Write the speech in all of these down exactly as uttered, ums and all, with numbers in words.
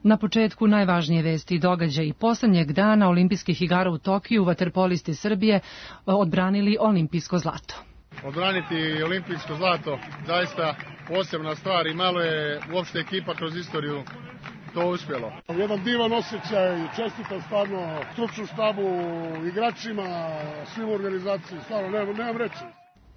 Na početku najvažnije vesti i događaji poslednjeg dana olimpijskih igara u Tokiju vaterpolisti Srbije odbranili olimpijsko zlato. Odbraniti olimpijsko zlato zaista posebna stvar i malo je uopšte ekipa kroz istoriju to uspjelo. Jedan divan osjećaj, čestitam stvarno stručnom štabu, igračima, svim organizaciji, stvarno nemam, nemam reći.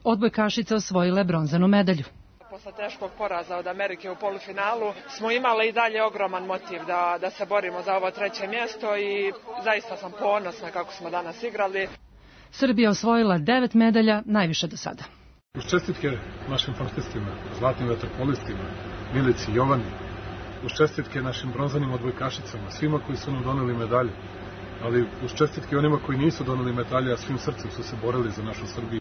Odbojkašice osvojile bronzanu medalju. Posle teškog poraza od Amerike u polufinalu smo imali i dalje ogroman motiv da, da se borimo za ovo treće mjesto i zaista sam ponosna kako smo danas igrali. Srbija osvojila devet medalja, najviše do sada. Uz čestitke našim sportistima, zlatnim vaterpolistima, Milici i Jovani, uz čestitke našim bronzanim odbojkašicama, svima koji su nam doneli medalje, ali uz čestitke onima koji nisu doneli medalje, a svim srcem su se borili za našu Srbiju.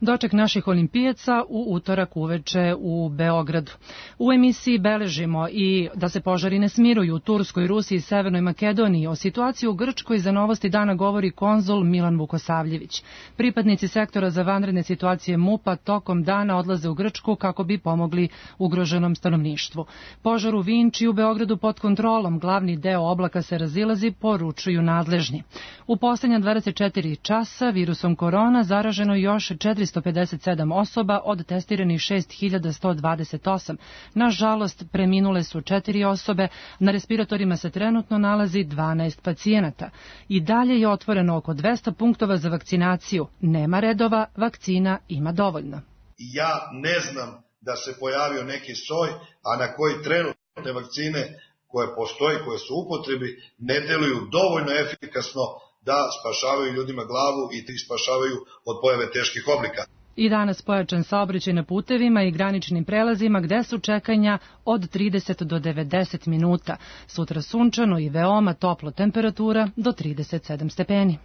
Doček naših olimpijaca u utorak uveče u Beogradu. U emisiji beležimo i da se požari ne smiruju u Turskoj, Rusiji i Severnoj Makedoniji. O situaciji u Grčkoj za Novosti dana govori konzul Milan Vukosavljević. Pripadnici sektora za vanredne situacije MUP-a tokom dana odlaze u Grčku kako bi pomogli ugroženom stanovništvu. Požar u Vinči u Beogradu pod kontrolom, glavni deo oblaka se razilazi, poručuju nadležni. U poslednja dvadeset četiri časa virusom korona zaraženo još četiristo pedeset sedam osoba od testiranih šest hiljada sto dvadeset osam. Nažalost, preminule su četiri osobe, na respiratorima se trenutno nalazi dvanaest pacijenata. I dalje je otvoreno oko dvesta punktova za vakcinaciju. Nema redova, vakcina ima dovoljno. Ja ne znam da se pojavio neki soj, a na koji trenutne vakcine koje postoji, koje su u upotrebi, ne deluju dovoljno efikasno da spašavaju ljudima glavu i ih spašavaju od pojave teških oblika. I danas pojačan saobraćaj na putevima i graničnim prelazima gde su čekanja od trideset do devedeset minuta. Sutra sunčano i veoma toplo, temperatura do trideset sedam stepeni.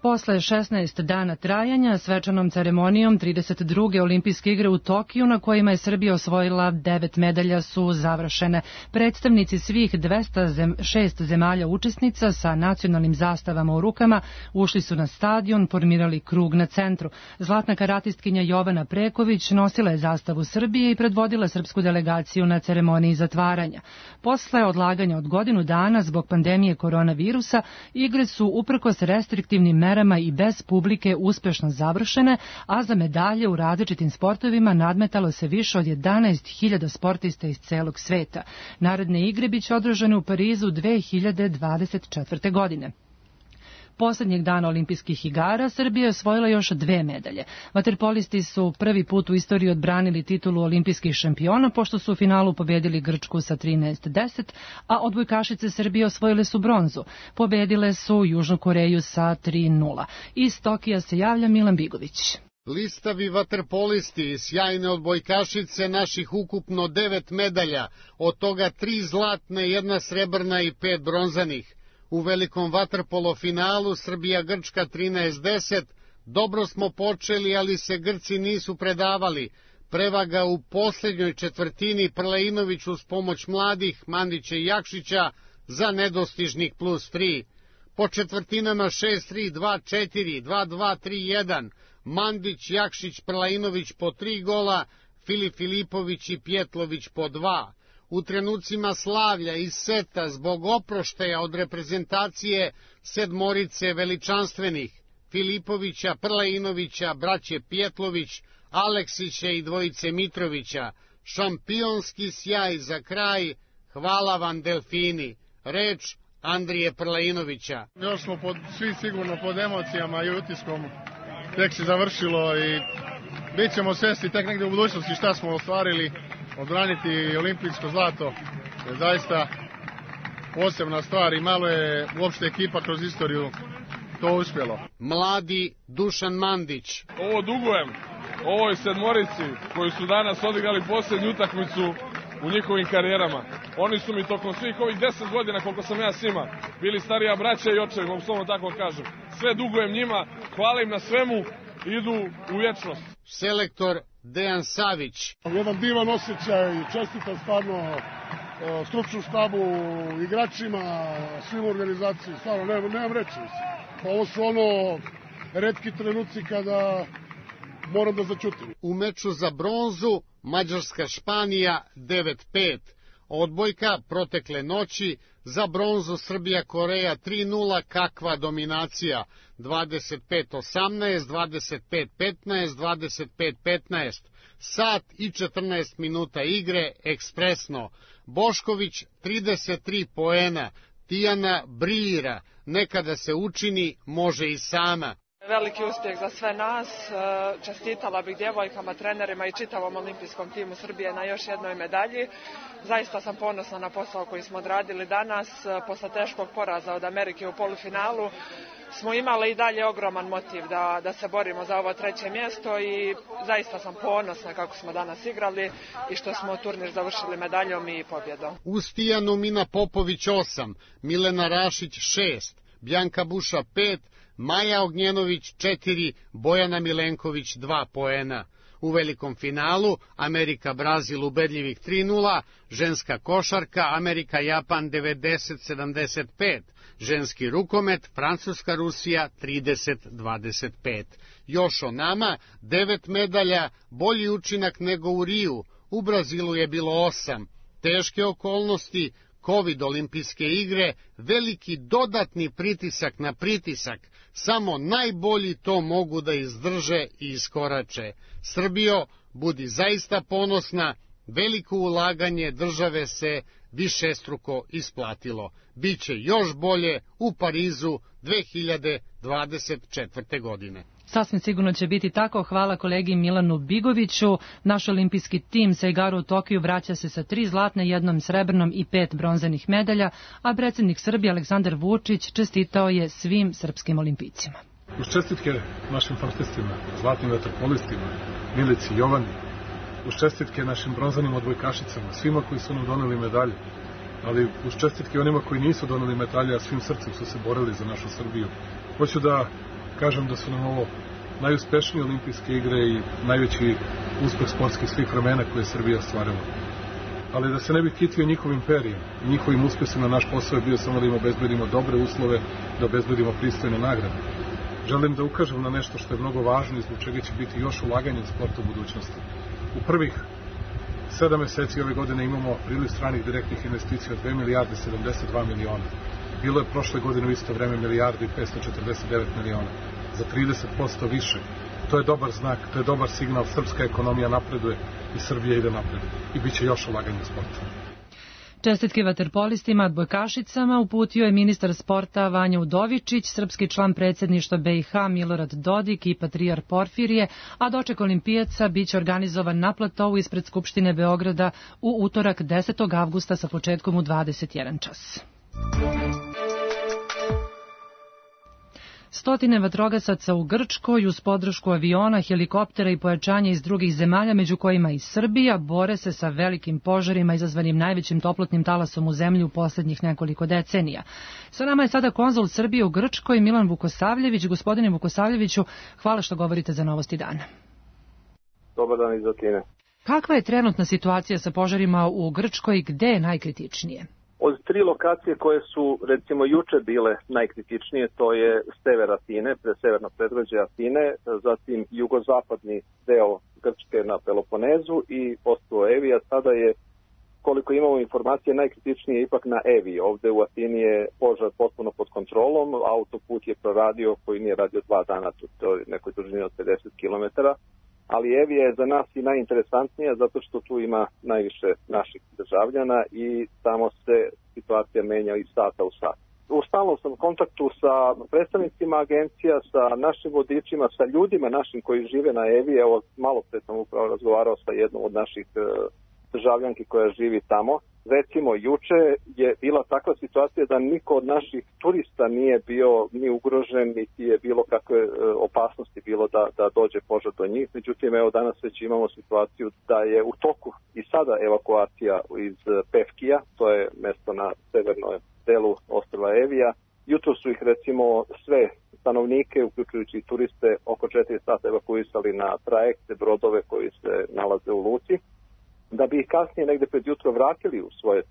Posle šesnaest dana trajanja, svečanom ceremonijom trideset druge olimpijske igre u Tokiju, na kojima je Srbija osvojila devet medalja, su završene. Predstavnici svih dvesta šest zemalja učesnica sa nacionalnim zastavama u rukama ušli su na stadion, formirali krug na centru. Zlatna karatistkinja Jovana Preković nosila je zastavu Srbije i predvodila srpsku delegaciju na ceremoniji zatvaranja. Posle odlaganja od godinu dana zbog pandemije koronavirusa, igre su uprkos restriktivnim merama i bez publike uspešno završene, a za medalje u različitim sportovima nadmetalo se više od jedanaest hiljada sportista iz celog sveta. Naredne igre biće održane u Parizu dve hiljade dvadeset četvrte. godine. Poslednjeg dana olimpijskih igara Srbija je osvojila još dve medalje. Vaterpolisti su prvi put u istoriji odbranili titulu olimpijskih šampiona, pošto su u finalu pobedili Grčku sa trinaest deset, a odbojkašice Srbije osvojile su bronzu. Pobedile su Južnu Koreju sa tri nula. Iz Tokija se javlja Milan Bigović. Listavi vaterpolisti i sjajne odbojkašice naših ukupno devet medalja, od toga tri zlatne, jedna srebrna i pet bronzanih. U velikom vaterpolo finalu Srbija-Grčka trinaest deset, dobro smo počeli, ali se Grci nisu predavali. Prevaga u posljednjoj četvrtini, Prleinović uz pomoć mladih Mandića i Jakšića za nedostižnih plus tri. Po četvrtinama šest tri, dva četiri, dva dva, tri jedan, Mandić, Jakšić, Prleinović po tri gola, Filip Filipović i Pjetlović po dva. U trenucima slavlja i seta zbog oproštaja od reprezentacije sedmorice veličanstvenih Filipovića, Prleinovića, braće Pjetlović, Aleksića i dvojice Mitrovića, šampionski sjaj za kraj, hvala vam Delfini, reč Andrije Prleinovića. Još smo pod, svi sigurno pod emocijama i utiskom, tek se završilo i bit ćemo svesni tek negde u budućnosti šta smo ostvarili. Odbraniti olimpijsko zlato je zaista posebna stvar i malo je uopšte ekipa kroz istoriju to uspjelo. Mladi Dušan Mandić. Ovo dugujem ovoj sedmorici koji su danas odigrali posljednju utakmicu u njihovim karijerama. Oni su mi tokom svih ovih deset godina koliko sam ja s njima bili starija braća i očevi, mogu slobodno tako kažem. Sve dugujem njima, hvala im na svemu, idu u vječnost. Selektor Dejan Savić. Jedan divan osjećaj, čestitam stvarno stručnom štabu, igračima, svim organizaciji, stvarno nemam, nemam reći. Ovo su ono retki trenuci kada moram da začutim. U meču za bronzu Mađarska-Španija devet pet. Odbojka protekle noći za bronzu Srbija-Koreja tri nula, kakva dominacija, dvadeset pet osamnaest, dvadeset pet petnaest, dvadeset pet petnaest, sat i četrnaest minuta igre, ekspresno. Bošković trideset tri poena, Tijana briljira, nekada se učini, može i sama. Veliki uspjeh za sve nas, čestitala bih djevojkama, trenerima i čitavom olimpijskom timu Srbije na još jednoj medalji. Zaista sam ponosna na posao koji smo odradili danas. Posle teškog poraza od Amerike u polufinalu smo imali i dalje ogroman motiv da, da se borimo za ovo treće mjesto i zaista sam ponosna kako smo danas igrali i što smo turnir završili medaljom i pobjedom. Uz Tijanu Mina Popović osam, Milena Rašić šest, Bjanka Buša pet, Maja Ognjenović četiri, Bojana Milenković dva poena. U velikom finalu Amerika-Brazil ubedljivih tri nula, ženska košarka Amerika-Japan devedeset sedamdeset pet, ženski rukomet Francuska-Rusija trideset dvadeset pet. Još o nama, devet medalja, bolji učinak nego u Riju, u Brazilu je bilo osam, teške okolnosti, Covid olimpijske igre, veliki dodatni pritisak na pritisak, samo najbolji to mogu da izdrže i iskorače. Srbijo, budi zaista ponosna, veliko ulaganje države se višestruko isplatilo. Biće još bolje u Parizu dve hiljade dvadeset četvrte. godine. Sasvim sigurno će biti tako. Hvala kolegi Milanu Bigoviću. Naš olimpijski tim sa igara u Tokiju vraća se sa tri zlatne, jednom srebrnom i pet bronzanih medalja, a predsjednik Srbije Aleksandar Vučić čestitao je svim srpskim olimpijcima. Uz čestitke našim sportistima, zlatnim vaterpolistima, Milici Jovani, uz čestitke našim bronzanim odbojkašicama, svima koji su nam doneli medalje, ali uz čestitke onima koji nisu doneli medalje, a svim srcem su se borili za našu Srbiju. Hoću da kažem da su nam ovo najuspešnije olimpijske igre i najveći uspeh sportskih svih vremena koje je Srbija ostvarila. Ali da se ne bih kitio njihovim imperijem i njihovim uspesima, naš posao je bio samo da im obezbedimo dobre uslove, da obezbedimo pristojne nagrade. Želim da ukažem na nešto što je mnogo važno i zbog čega će biti još ulaganje u sportu u budućnosti. U prvih sedam meseci ove godine imamo priliv stranih direktnih investicija od dve milijarde sedamdeset dva miliona. Bilo je prošle godine u isto vreme milijardu i petsto četrdeset devet miliona. Za trideset posto više. To je dobar znak, to je dobar signal. Srpska ekonomija napreduje i Srbija ide napred. I bit će još ulaganje u sportu. Čestitke vaterpolistima, odbojkašicama uputio je ministar sporta Vanja Udovičić, srpski član predsjedništva B i H Milorad Dodik i patrijar Porfirije, a doček olimpijaca biće organizovan na platovu ispred Skupštine Beograda u utorak desetog avgusta sa početkom u dvadeset jedan čas. Stotine vatrogasaca u Grčkoj uz podršku aviona, helikoptera i pojačanja iz drugih zemalja, među kojima i Srbija, bore se sa velikim požarima izazvanim najvećim toplotnim talasom u zemlji u posljednjih nekoliko decenija. Sa nama je sada konzul Srbije u Grčkoj, Milan Vukosavljević. Gospodine Vukosavljeviću, hvala što govorite za Novosti dana. Dobar dan iz Atine. Kakva je trenutna situacija sa požarima u Grčkoj, gde je najkritičnije? Od tri lokacije koje su, recimo, juče bile najkritičnije, to je sever Atine, pre severno predgrađe Atine, zatim jugozapadni deo Grčke na Peloponezu i ostrvo Evija. Sada je, koliko imamo informacije, najkritičnije ipak na Eviji. Ovde u Atini je požar potpuno pod kontrolom, autoput je proradio koji nije radio dva dana, to je nekoj dužini od pedeset kilometara. Ali Evija je za nas i najinteresantnija zato što tu ima najviše naših državljana i tamo se situacija menja iz sata u sat. U stalnom sam kontaktu sa predstavnicima agencija, sa našim vodičima, sa ljudima našim koji žive na Eviji. Evo, malo pre sam upravo razgovarao sa jednom od naših državljanki koja živi tamo. Recimo, juče je bila takva situacija da niko od naših turista nije bio ni ugrožen, niti je bilo kakve opasnosti bilo da, da dođe požar do njih. Međutim, evo danas već imamo situaciju da je u toku i sada evakuacija iz Pevkija, to je mesto na severnom delu ostrva Evija. Jutro su ih recimo sve stanovnike, uključujući i turiste, oko četiri sata evakuisali na trajekte, brodove koji se nalaze u luci, da bi ih kasnije negde pred jutro vratili u svoje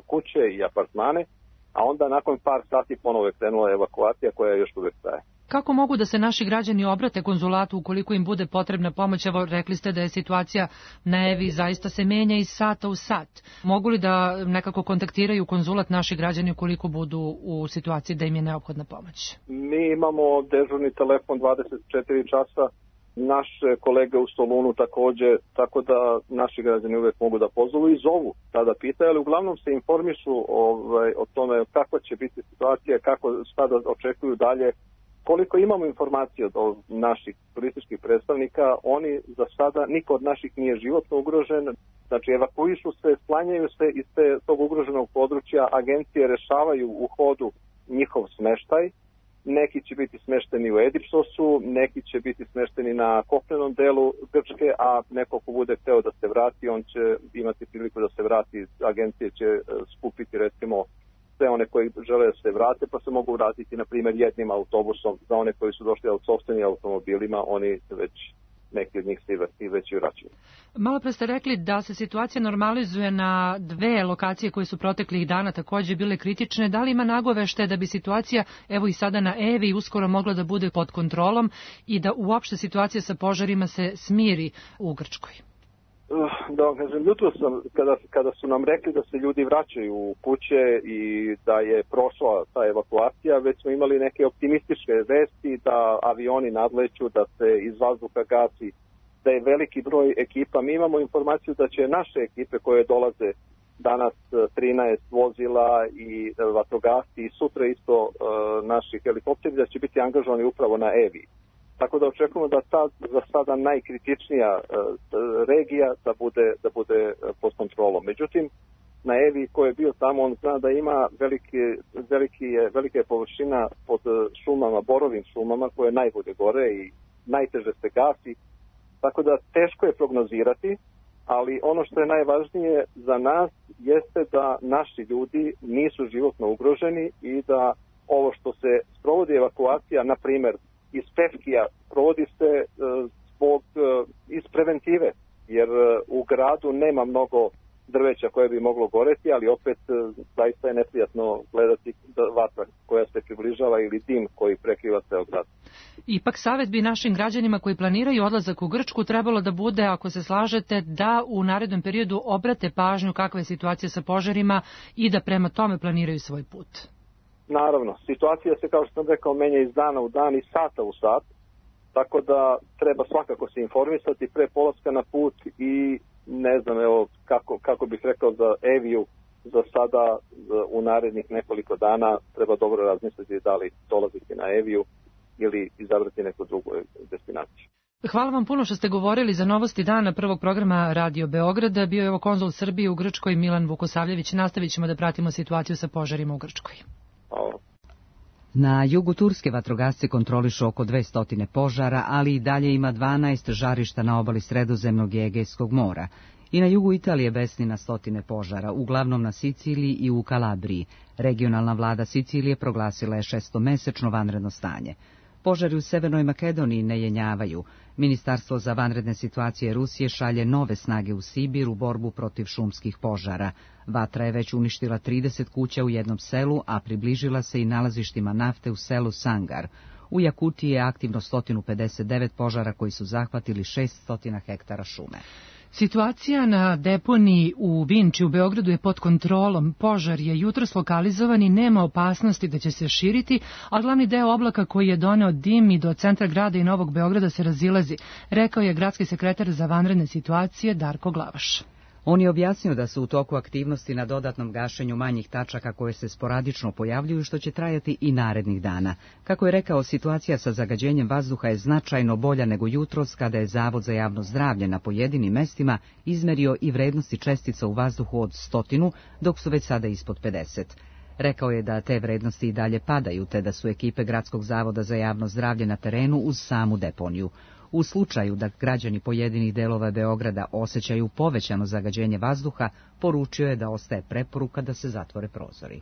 kuće i apartmane, a onda nakon par sati ponovo je krenula evakuacija koja još uvek traje. Kako mogu da se naši građani obrate konzulatu ukoliko im bude potrebna pomoć? Evo, rekli ste da je situacija na Evi zaista se menja iz sata u sat. Mogu li da nekako kontaktiraju konzulat naši građani ukoliko budu u situaciji da im je neophodna pomoć? Mi imamo dežurni telefon dvadeset četiri časa, naše kolege u Solunu takođe, tako da naši građani uvek mogu da pozovu i zovu, tada pitaju, ali uglavnom se informišu ovaj, o tome kakva će biti situacija, kako šta da očekuju dalje. Koliko imamo informacije od naših turističkih predstavnika, oni za sada, niko od naših nije životno ugrožen, znači evakuišu se, sklanjaju se iz te, tog ugroženog područja, agencije rešavaju u hodu njihov smeštaj, neki će biti smešteni u Edipsosu, neki će biti smešteni na kopnenom delu Grčke, a neko ko bude hteo da se vrati, on će imati priliku da se vrati, agencije će skupiti recimo sve one koji žele da se vrate, pa se mogu vratiti, na primjer, jednim autobusom. Za one koji su došli od sopstvenim automobilima, oni već, neki od njih se već i vraćaju. Malo pre ste rekli da se situacija normalizuje na dve lokacije koje su proteklih dana takođe bile kritične. Da li ima nagovešte da bi situacija, evo i sada na Evi, uskoro mogla da bude pod kontrolom i da uopšte situacija sa požarima se smiri u Grčkoj? Da, kažem, jutro sam, kada, kada su nam rekli da se ljudi vraćaju u kuće i da je prošla ta evakuacija, već smo imali neke optimističke vesti da avioni nadleću, da se iz vazduha gasi, da je veliki broj ekipa. Mi imamo informaciju da će naše ekipe koje dolaze danas trinaest vozila i vatrogasci i sutra isto uh, naši helikopteri da će biti angažovani upravo na Evi. Tako da očekujemo da ta za sada najkritičnija uh, regija da bude, da bude pod kontrolom. Međutim, na Evi ko je bio tamo, on zna da ima veliki, veliki je, velika je površina pod šumama, borovim šumama koje najbolje gore i najteže se gasi. Tako da teško je prognozirati, ali ono što je najvažnije za nas jeste da naši ljudi nisu životno ugroženi i da ovo što se sprovodi evakuacija, na primjer, iz Pevkija provodi se zbog, iz preventive, jer u gradu nema mnogo drveća koje bi moglo goreti, ali opet zaista je neprijatno gledati vatra koja se približava ili dim koji prekriva ceo grad. Ipak savjet bi našim građanima koji planiraju odlazak u Grčku trebalo da bude, ako se slažete, da u narednom periodu obrate pažnju kakva je situacija sa požarima i da prema tome planiraju svoj put. Naravno, situacija se, kao što sam rekao, menja iz dana u dan i sata u sat, tako da treba svakako se informisati pre polaska na put i ne znam, evo, kako, kako bih rekao za Eviju, za sada u narednih nekoliko dana treba dobro razmisliti da li dolaziti na Eviju ili izabrati neku drugu destinaciju. Hvala vam puno što ste govorili za novosti dana prvog programa Radio Beograda. Bio je ovo konzul Srbije u Grčkoj Milan Vukosavljević. Nastavit ćemo da pratimo situaciju sa požarima u Grčkoj. Hvala. Na jugu Turske vatrogasci kontrolišu oko dvesta požara, ali i dalje ima dvanaest žarišta na obali Sredozemnog i Egejskog mora. I na jugu Italije besni na stotine požara, uglavnom na Siciliji i u Kalabriji. Regionalna vlada Sicilije proglasila je šestomesečno vanredno stanje. Požari u Severnoj Makedoniji ne jenjavaju. Ministarstvo za vanredne situacije Rusije šalje nove snage u Sibir u borbu protiv šumskih požara. Vatra je već uništila trideset kuća u jednom selu, a približila se i nalazištima nafte u selu Sangar. U Jakutiji je aktivno sto pedeset devet požara koji su zahvatili šesto hektara šume. Situacija na deponiji u Vinči u Beogradu je pod kontrolom. Požar je jutros lokalizovan i nema opasnosti da će se širiti, a glavni deo oblaka koji je doneo dim i do centra grada i Novog Beograda se razilazi, rekao je gradski sekretar za vanredne situacije Darko Glavaš. On je objasnio da su u toku aktivnosti na dodatnom gašenju manjih tačaka koje se sporadično pojavljuju, što će trajati i narednih dana. Kako je rekao, situacija sa zagađenjem vazduha je značajno bolja nego jutros, kada je Zavod za javno zdravlje na pojedinim mestima izmerio i vrednosti čestica u vazduhu od stotinu, dok su već sada ispod pedeset. Rekao je da te vrednosti i dalje padaju, te da su ekipe Gradskog zavoda za javno zdravlje na terenu uz samu deponiju. U slučaju da građani pojedinih delova Beograda osjećaju povećano zagađenje vazduha, poručio je da ostaje preporuka da se zatvore prozori.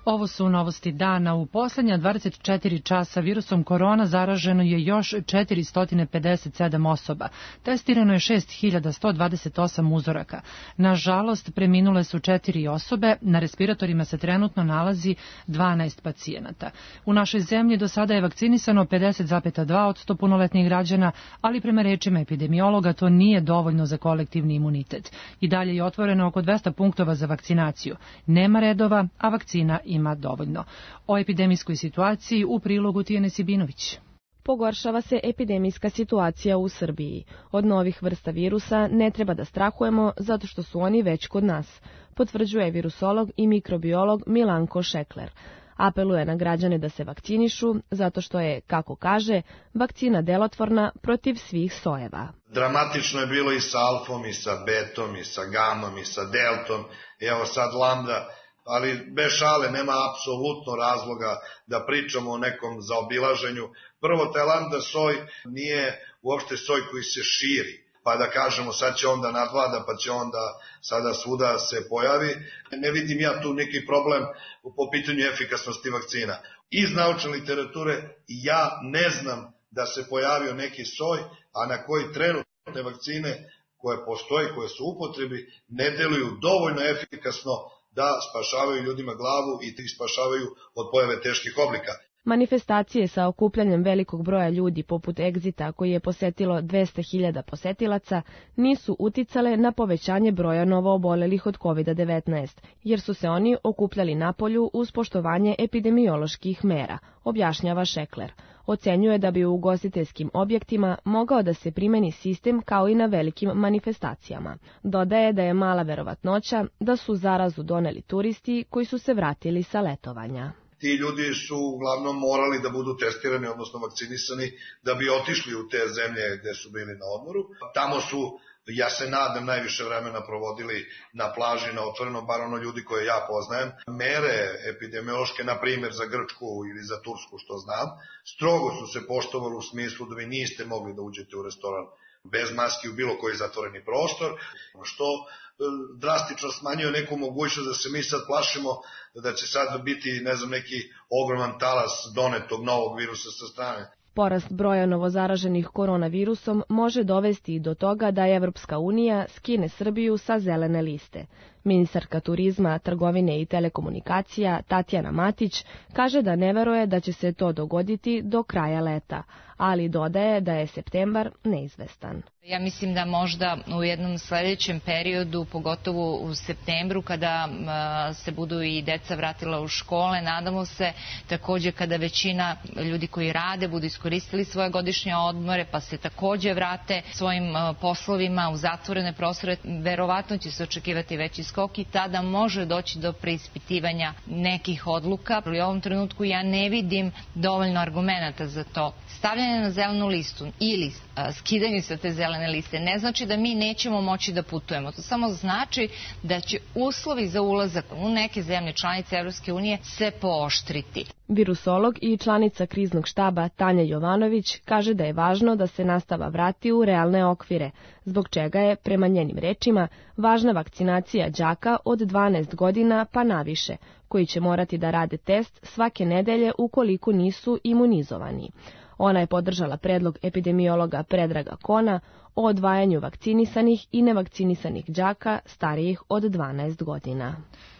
Ovo su novosti dana. U poslednja dvadeset četiri časa virusom korona zaraženo je još četiristo pedeset sedam osoba. Testirano je šest hiljada sto dvadeset osam uzoraka. Nažalost, preminule su četiri osobe, na respiratorima se trenutno nalazi dvanaest pacijenata. U našoj zemlji do sada je vakcinisano pedeset zarez dva posto punoletnih građana, ali prema rečima epidemiologa to nije dovoljno za kolektivni imunitet. I dalje je otvoreno oko dvesta punktova za vakcinaciju. Nema redova, a vakcina ima dovoljno. O epidemijskoj situaciji u prilogu Tijane Sibinović. Pogoršava se epidemijska situacija u Srbiji. Od novih vrsta virusa ne treba da strahujemo zato što su oni već kod nas, potvrđuje virusolog i mikrobiolog Milanko Šekler. Apeluje na građane da se vakcinišu zato što je, kako kaže, vakcina delotvorna protiv svih sojeva. Dramatično je bilo i sa alfom, i sa betom, i sa gamom, i sa deltom, evo sad lambda, ali bez šale nema apsolutno razloga da pričamo o nekom zaobilaženju. Prvo, taj lambda soj nije uopšte soj koji se širi, pa da kažemo sad će onda nadvlada, pa će onda sada svuda se pojavi. Ne vidim ja tu neki problem po pitanju efikasnosti vakcina. Iz naučne literature ja ne znam da se pojavio neki soj, a na koji trenutne vakcine koje postoje, koje su u upotrebi, ne deluju dovoljno efikasno da spašavaju ljudima glavu i da ih spašavaju od pojave teških oblika. Manifestacije sa okupljanjem velikog broja ljudi poput Egzita, koji je posetilo dvesta hiljada posetilaca, nisu uticale na povećanje broja novoobolelih od kovid devetnaest, jer su se oni okupljali napolju uz poštovanje epidemioloških mera, objašnjava Šekler. Ocenjuje da bi u ugostiteljskim objektima mogao da se primeni sistem kao i na velikim manifestacijama. Dodaje da je mala verovatnoća da su zarazu doneli turisti koji su se vratili sa letovanja. Ti ljudi su uglavnom morali da budu testirani, odnosno vakcinisani, da bi otišli u te zemlje gde su bili na odmoru. Tamo su, ja se nadam, najviše vremena provodili na plaži, na otvorenom, bar ono ljudi koje ja poznajem. Mere epidemiološke, na primjer za Grčku ili za Tursku, što znam, strogo su se poštovali u smislu da vi niste mogli da uđete u restoran bez maski u bilo koji zatvoreni prostor, što drastično smanjuje neku mogućnost da se mi sad plašimo da će sad biti, ne znam, neki ogroman talas donetog novog virusa sa strane. Porast broja novozaraženih koronavirusom može dovesti i do toga da Evropska unija skine Srbiju sa zelene liste. Ministarka turizma, trgovine i telekomunikacija Tatjana Matić kaže da ne veruje da će se to dogoditi do kraja leta, ali dodaje da je septembar neizvestan. Ja mislim da možda u jednom sledećem periodu, pogotovo u septembru, kada se budu i deca vratila u škole, nadamo se takođe kada većina ljudi koji rade budu iskoristili svoje godišnje odmore, pa se takođe vrate svojim poslovima u zatvorene prostore, verovatno će se očekivati veći skok i tada može doći do preispitivanja nekih odluka. U ovom trenutku ja ne vidim dovoljno argumenata za to. Stavljanje na zelenu listu ili skidanje sa te zelene liste ne znači da mi nećemo moći da putujemo. To samo znači da će uslovi za ulazak u neke zemlje članice Evropske unije se pooštriti. Virusolog i članica kriznog štaba Tanja Jovanović kaže da je važno da se nastava vrati u realne okvire, zbog čega je, prema njenim rečima, važna vakcinacija đaka od dvanaest godina pa naviše, koji će morati da rade test svake nedelje ukoliko nisu imunizovani. Ona je podržala predlog epidemiologa Predraga Kona o odvajanju vakcinisanih i nevakcinisanih đaka starijih od dvanaest godina.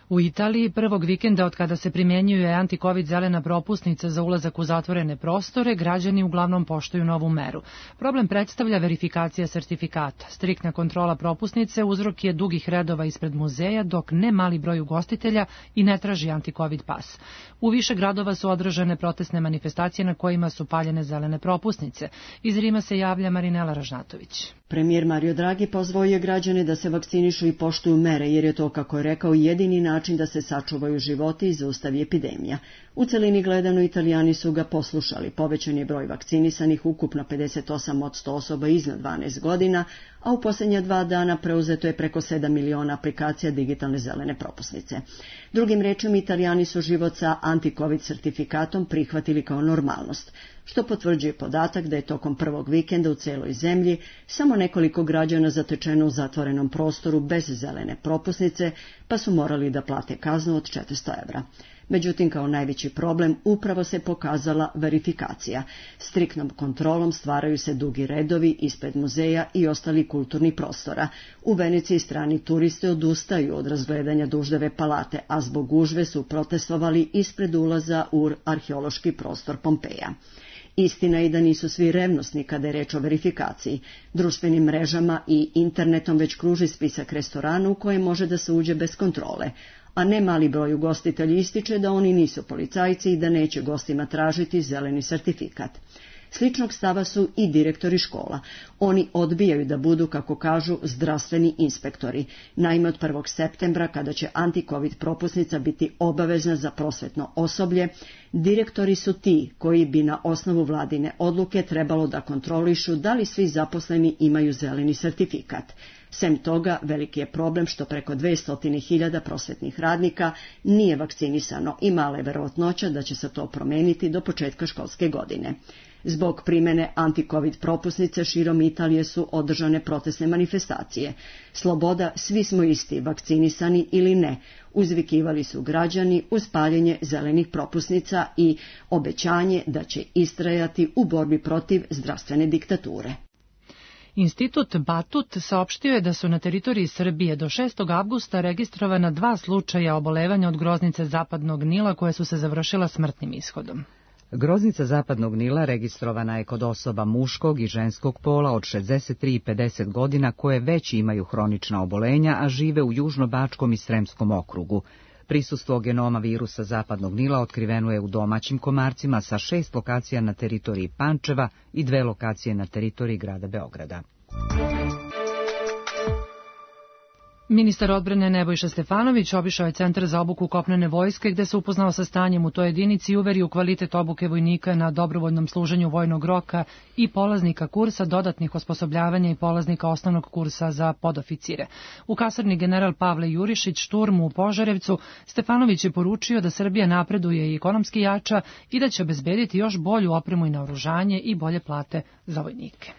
U Italiji prvog vikenda od kada se primjenjuje anti-covid zelena propusnica za ulazak u zatvorene prostore, građani uglavnom poštuju novu meru. Problem predstavlja verifikacija sertifikata. Striktna kontrola propusnice uzrok je dugih redova ispred muzeja, dok ne mali broj ugostitelja i ne traži anti-covid pas. U više gradova su održane protestne manifestacije na kojima su paljene zelene propusnice. Iz Rima se javlja Marinela Ražnatović. Premijer Mario Draghi pozvao je građane da se vakcinišu i poštuju mere, jer je to, kako je rekao, jedini način da se sačuvaju životi i zaustavi epidemija. U celini gledano, Italijani su ga poslušali. Povećan je broj vakcinisanih, ukupno pedeset osam posto osoba iznad dvanaest godina, a u posljednja dva dana preuzeto je preko sedam miliona aplikacija digitalne zelene propusnice. Drugim rečima, Italijani su život sa anti-covid sertifikatom prihvatili kao normalnost, što potvrđuje podatak da je tokom prvog vikenda u celoj zemlji samo nekoliko građana zatečeno u zatvorenom prostoru bez zelene propusnice, pa su morali da plate kaznu od četiristo evra. Međutim, kao najveći problem upravo se pokazala verifikacija. Striktnom kontrolom stvaraju se dugi redovi ispred muzeja i ostali kulturnih prostora. U Veneciji strani turisti odustaju od razgledanja Duždeve palate, a zbog gužve su protestovali ispred ulaza u arheološki prostor Pompeja. Istina je da nisu svi revnosni kada je reč o verifikaciji. Društvenim mrežama i internetom već kruži spisak restorana u koje može da se uđe bez kontrole, a ne mali broj ugostitelji ističe da oni nisu policajci i da neće gostima tražiti zeleni sertifikat. Sličnog stava su i direktori škola. Oni odbijaju da budu, kako kažu, zdravstveni inspektori. Naime, od prvog septembra, kada će anti-covid propusnica biti obavezna za prosvetno osoblje, direktori su ti koji bi na osnovu vladine odluke trebalo da kontrolišu da li svi zaposleni imaju zeleni sertifikat. Sem toga, veliki je problem što preko dvesta hiljada prosvetnih radnika nije vakcinisano i mala je verovatnoća da će se to promeniti do početka školske godine. Zbog primene anti-covid propusnice širom Italije su održane protestne manifestacije. Sloboda, svi smo isti, vakcinisani ili ne, uzvikivali su građani uz paljenje zelenih propusnica i obećanje da će istrajati u borbi protiv zdravstvene diktature. Institut Batut saopštio je da su na teritoriji Srbije do šestog avgusta registrovana dva slučaja obolevanja od groznice zapadnog Nila koje su se završila smrtnim ishodom. Groznica zapadnog Nila registrovana je kod osoba muškog i ženskog pola od šezdeset tri i pedeset godina koje već imaju hronična obolenja, a žive u Južnobačkom i Sremskom okrugu. Prisustvo genoma virusa zapadnog Nila otkriveno je u domaćim komarcima sa šest lokacija na teritoriji Pančeva i dve lokacije na teritoriji grada Beograda. Ministar odbrane Nebojša Stefanović obišao je Centar za obuku kopnene vojske gde se upoznao sa stanjem u toj jedinici i uverio u kvalitet obuke vojnika na dobrovoljnom služenju vojnog roka i polaznika kursa dodatnih osposobljavanja i polaznika osnovnog kursa za podoficire. U kasarni general Pavle Jurišić šturmu u Požarevcu Stefanović je poručio da Srbija napreduje i ekonomski jača i da će obezbediti još bolju opremu i naoružanje i bolje plate za vojnike.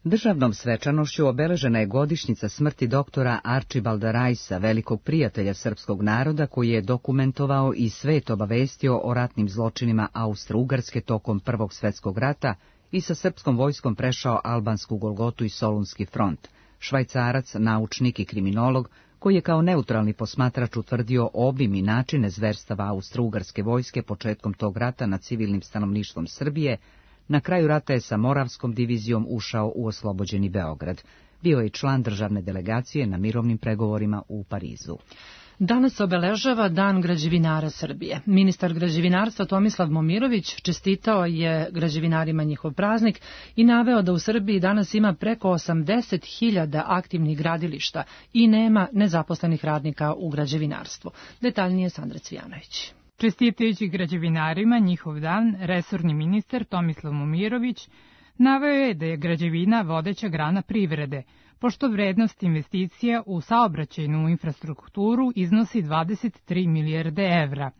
Državnom svečanošću obeležena je godišnjica smrti doktora Arčibalda Rajsa, velikog prijatelja srpskog naroda koji je dokumentovao i svet obavestio o ratnim zločinima Austro-Ugarske tokom Prvog svjetskog rata i sa srpskom vojskom prešao albansku Golgotu i Solunski front. Švajcarac, naučnik i kriminolog, koji je kao neutralni posmatrač utvrdio obim i načine zverstava Austro-Ugarske vojske početkom tog rata nad civilnim stanovništvom Srbije, na kraju rata je sa Moravskom divizijom ušao u oslobođeni Beograd. Bio je član državne delegacije na mirovnim pregovorima u Parizu. Danas obeležava Dan građevinara Srbije. Ministar građevinarstva Tomislav Momirović čestitao je građevinarima njihov praznik i naveo da u Srbiji danas ima preko osamdeset hiljada aktivnih gradilišta i nema nezaposlenih radnika u građevinarstvu. Detaljnije Sandra Cvijanović. Čestitajući građevinarima njihov dan, resorni ministar Tomislav Momirović naveo je da je građevina vodeća grana privrede, pošto vrednost investicija u saobraćajnu infrastrukturu iznosi dvadeset tri milijarde evra.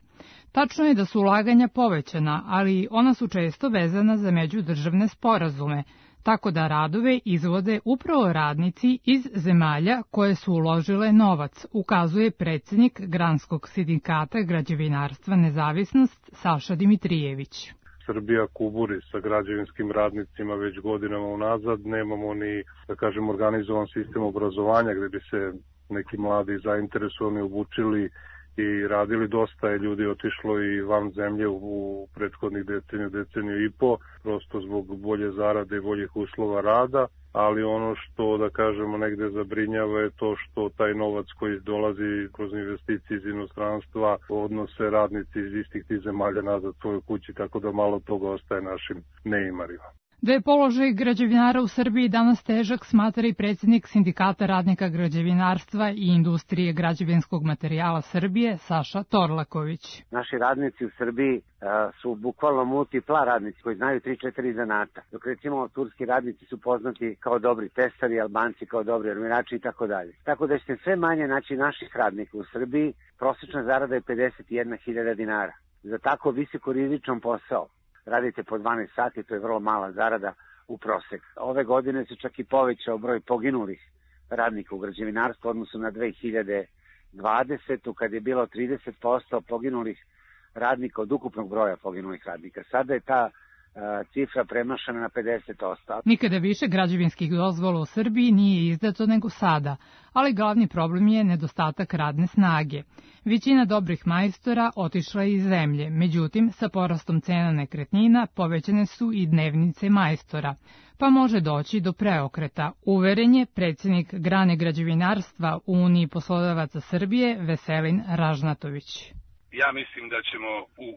Tačno je da su ulaganja povećana, ali ona su često vezana za međudržavne sporazume, tako da radove izvode upravo radnici iz zemalja koje su uložile novac, ukazuje predsjednik Granskog sindikata građevinarstva Nezavisnost Saša Dimitrijević. Srbija kuburi sa građevinskim radnicima već godinama unazad, nemamo ni, da kažem, organizovan sistem obrazovanja gde bi se neki mladi zainteresovani obučili i radili. Dosta je ljudi otišlo i van zemlje u prethodnih deceniju, deceniju i po, prosto zbog bolje zarade i boljih uslova rada, ali ono što, da kažemo, negde zabrinjava je to što taj novac koji dolazi kroz investicije iz inostranstva odnose radnici iz istih tih zemalja nazad svojoj kući, tako da malo toga ostaje našim neimarima. Da je položaj građevinara u Srbiji danas težak, smatra i predsjednik Sindikata radnika građevinarstva i industrije građevinskog materijala Srbije, Saša Torlaković. Naši radnici u Srbiji a, su bukvalno multipla radnici koji znaju tri četiri zanata. Dok recimo turski radnici su poznati kao dobri tesari, Albanci kao dobri armirači i tako dalje. Tako da ćete sve manje naći naših radnika u Srbiji. Prosječna zarada je pedeset jedna hiljada dinara. Za tako visokorizičan posao radite po dvanaest sati, to je vrlo mala zarada u prosek. Ove godine se čak i povećao broj poginulih radnika u građevinarstvu u odnosu na dve hiljade dvadesete. kad je bilo trideset posto poginulih radnika od ukupnog broja poginulih radnika. Sada je ta cifra premašena na pedeset posto. Nikada više građevinskih dozvola u Srbiji nije izdato nego sada, ali glavni problem je nedostatak radne snage. Većina dobrih majstora otišla je iz zemlje, međutim, sa porastom cena nekretnina povećane su i dnevnice majstora, pa može doći do preokreta, uveren je predsjednik grane građevinarstva u Uniji poslodavaca Srbije Veselin Ražnatović. Ja mislim da ćemo u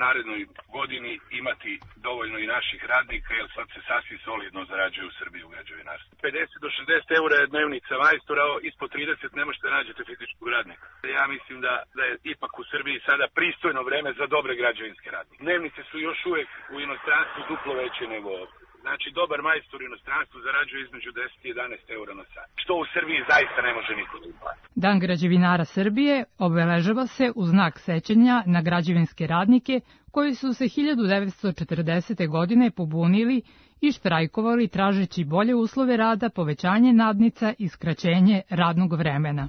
narednoj godini imati dovoljno i naših radnika, jer sad se sasvim solidno zarađuje u Srbiji u građevinarstvu. pedeset do šezdeset eura je dnevnica majstora, ispod trideset ne možete nađete fizičkog radnika. Ja mislim da, da je ipak u Srbiji sada pristojno vreme za dobre građevinske radnike. Dnevnice su još uvek u inostranstvu duplo veće nego ovdje. Znači, dobar majstor u inostranstvu zarađuje između deset i jedanaest eura na sat, što u Srbiji zaista ne može niko da uplati. Dan građevinara Srbije obeležava se u znak sećanja na građevinske radnike koji su se hiljadu devetsto četrdesete. godine pobunili i štrajkovali tražeći bolje uslove rada, povećanje nadnica i skraćenje radnog vremena.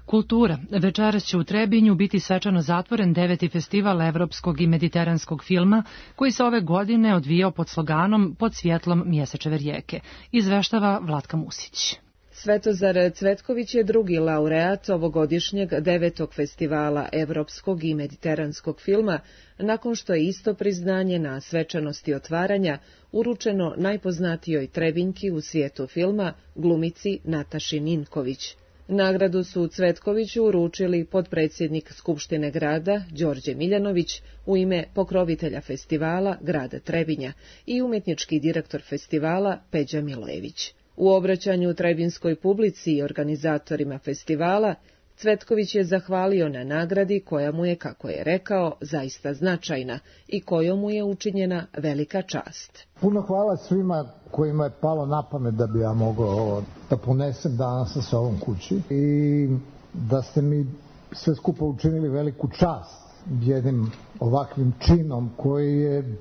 Kultura. Večeras će u Trebinju biti svečano zatvoren deveti festival evropskog i mediteranskog filma, koji se ove godine odvijao pod sloganom Pod svjetlom mjesečeve rijeke. Izveštava Vlatka Musić. Svetozar Cvetković je drugi laureat ovogodišnjeg devetog festivala evropskog i mediteranskog filma, nakon što je isto priznanje na svečanosti otvaranja uručeno najpoznatijoj Trebinjki u svijetu filma, glumici Nataši Ninković. Nagradu su Cvetkoviću uručili potpredsjednik Skupštine grada Đorđe Miljanović u ime pokrovitelja festivala grada Trebinja i umjetnički direktor festivala Peđa Milojević. U obraćanju trebinskoj publici i organizatorima festivala Cvetković je zahvalio na nagradi koja mu je, kako je rekao, zaista značajna i kojom mu je učinjena velika čast. Puno hvala svima kojima je palo na pamet da bi ja mogao da ponesem danas sa sobom kući i da ste mi sve skupa učinili veliku čast jednim ovakvim činom koji je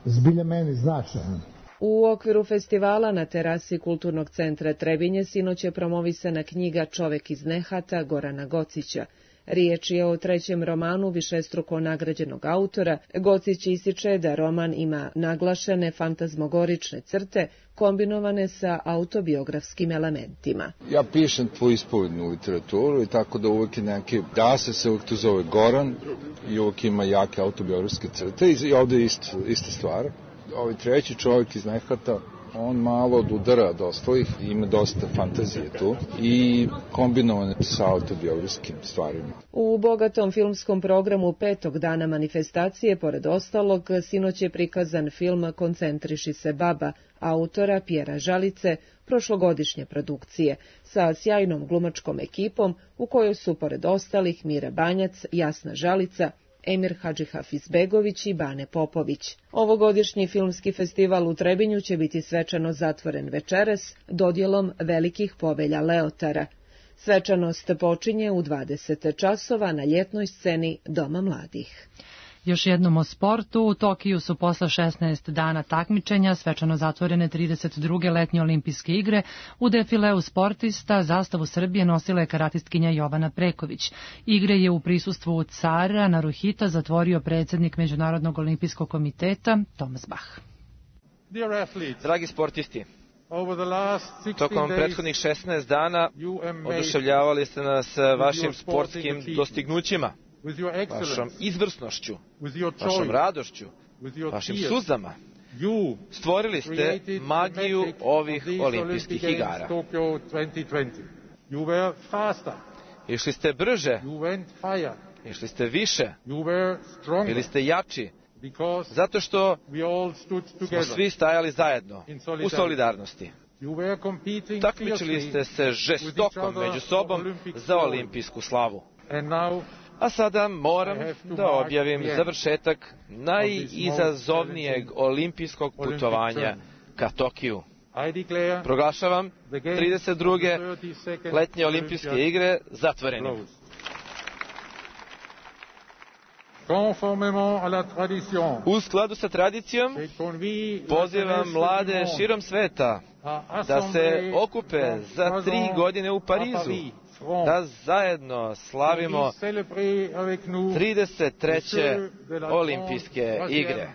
zbilja meni značajan. U okviru festivala na terasi Kulturnog centra Trebinje sinoć je promovisana knjiga Čovek iz nehata Gorana Gocića. Riječ je o trećem romanu višestruko nagrađenog autora. Gocić ističe da roman ima naglašene fantazmogorične crte kombinovane sa autobiografskim elementima. Ja pišem tvoju ispovednu literaturu i tako da uvijek je neki, da se se uvijek to zove Goran i uvijek ima jake autobiografske crte i ovdje je isto, ista stvar. Ovaj treći Čovjek iz nehata, on malo odudara od ostalih, ima dosta fantazije tu i kombinovane sa autobiografskim stvarima. U bogatom filmskom programu petog dana manifestacije, pored ostalog, sinoć je prikazan film Koncentriši se baba, autora Pjera Žalice, prošlogodišnje produkcije, sa sjajnom glumačkom ekipom u kojoj su, pored ostalih, Mira Banjac, Jasna Žalica, Emir Hadžihafizbegović i Bane Popović. Ovogodišnji filmski festival u Trebinju će biti svečano zatvoren večeras dodjelom velikih povelja Leotara. Svečanost počinje u dvadeset časova na ljetnoj sceni Doma mladih. Još jednom o sportu. U Tokiju su posle šesnaest dana takmičenja svečano zatvorene trideset druge letnje olimpijske igre. U defileu sportista zastavu Srbije nosila je karatistkinja Jovana Preković. Igre je u prisustvu cara Naruhita zatvorio predsjednik Međunarodnog olimpijskog komiteta Thomas Bach. Dragi sportisti, tokom prethodnih šesnaest dana oduševljavali ste nas vašim sportskim dostignućima, vašom izvrsnošću, vašom radošću, vašim suzama. Stvorili ste magiju ovih olimpijskih igara. Išli ste brže, išli ste više, bili ste jači, zato što smo svi stajali zajedno, u solidarnosti. Takmičili ste se žestoko među sobom za olimpijsku slavu. A sada moram da objavim završetak najizazovnijeg olimpijskog putovanja ka Tokiju. Proglašavam trideset druge letnje olimpijske igre zatvorenim. U skladu sa tradicijom, pozivam mlade širom sveta da se okupe za tri godine u Parizu da zajedno slavimo trideset treće olimpijske igre.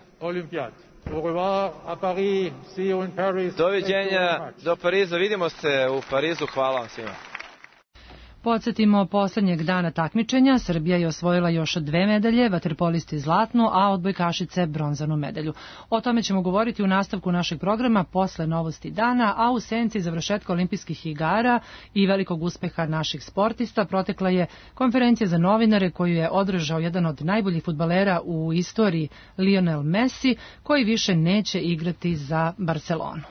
Doviđenja do Pariza, vidimo se u Parizu, hvala vam svima. Podsjetimo, poslednjeg dana takmičenja Srbija je osvojila još dve medalje, vaterpolisti zlatnu, a odbojkašice bronzanu medalju. O tome ćemo govoriti u nastavku našeg programa posle novosti dana, a u senci završetka olimpijskih igara i velikog uspeha naših sportista protekla je konferencija za novinare koju je održao jedan od najboljih fudbalera u istoriji, Lionel Messi, koji više neće igrati za Barcelonu.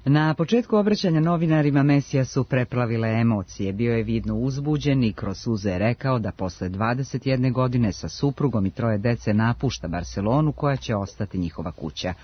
Na početku obraćanja novinarima Mesija su preplavile emocije. Bio je vidno uzbuđen i kroz suze je rekao da posle dvadeset jedne godine sa suprugom i troje dece napušta Barcelonu, koja će ostati njihova kuća.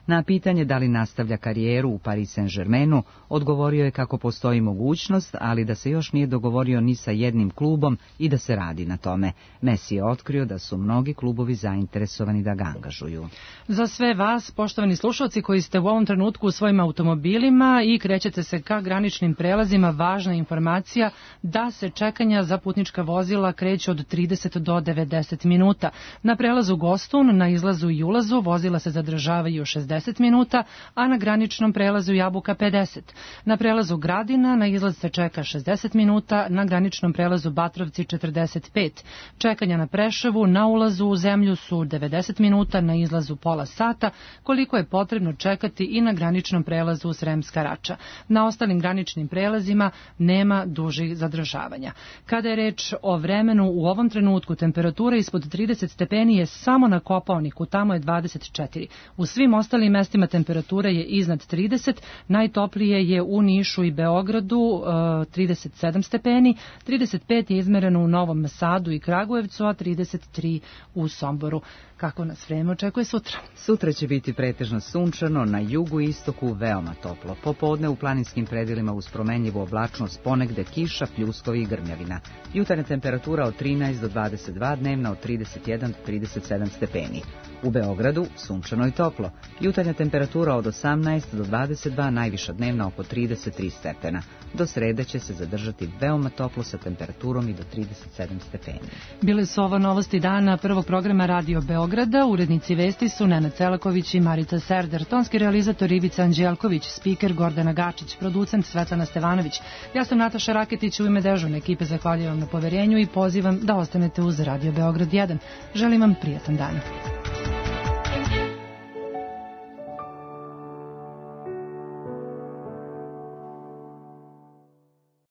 Na pitanje da li nastavlja karijeru u Paris Saint-Germainu, odgovorio je kako postoji mogućnost, ali da se još nije dogovorio ni sa jednim klubom i da se radi na tome. Messi je otkrio da su mnogi klubovi zainteresovani da ga angažuju. Za sve vas, poštovani slušalci koji ste u ovom trenutku u svojim automobilima i krećete se ka graničnim prelazima, važna informacija da se čekanja za putnička vozila kreću od trideset do devedeset minuta. Na prelazu Gostun, na izlazu i ulazu vozila se zadržavaju šezdeset minuta, a na graničnom prelazu Jabuka pedeset. Na prelazu Gradina na izlaz se čeka šezdeset minuta, na graničnom prelazu Batrovci četrdeset pet. Čekanja na Preševu na ulazu u zemlju su devedeset minuta, na izlazu pola sata, koliko je potrebno čekati i na graničnom prelazu Sremska Rača. Na ostalim graničnim prelazima nema dužih zadržavanja. Kada je reč o vremenu, u ovom trenutku temperatura ispod trideset stepeni je samo na Kopaoniku, tamo je dvadeset četiri. U svim ostalim mestima temperatura je iznad trideset, najtoplije je u Nišu i Beogradu trideset sedam stepeni, trideset pet je izmereno u Novom Sadu i Kragujevcu, a trideset tri u Somboru. Kako nas vreme očekuje sutra? Sutra će biti pretežno sunčano, na jugu i istoku veoma toplo. Popodne u planinskim predelima uz promenljivu oblačnost, ponegde kiša, pljuskovi i grmljavina. Jutarnja temperatura od trinaest do dvadeset dva, dnevna od trideset jedan do trideset sedam stepeni. U Beogradu sunčano i toplo. Jutarnja temperatura od osamnaest do dvadeset dva, najviša dnevna oko trideset tri stepena. Do srede će se zadržati veoma toplo sa temperaturom i do trideset sedam stepeni. Bile su ovo novosti dana prvog programa Radio Beograda. Urednici vesti su Nenad Celaković i Marica Serder, tonski realizator Ivica Anđelković, spiker Gordana Gačić, producent Svetlana Stevanović. Ja sam Nataša Raketić, u ime dežurne ekipe zahvaljujem vam na poverenju i pozivam da ostanete uz Radio Beograd jedan. Želim vam prijatan dan.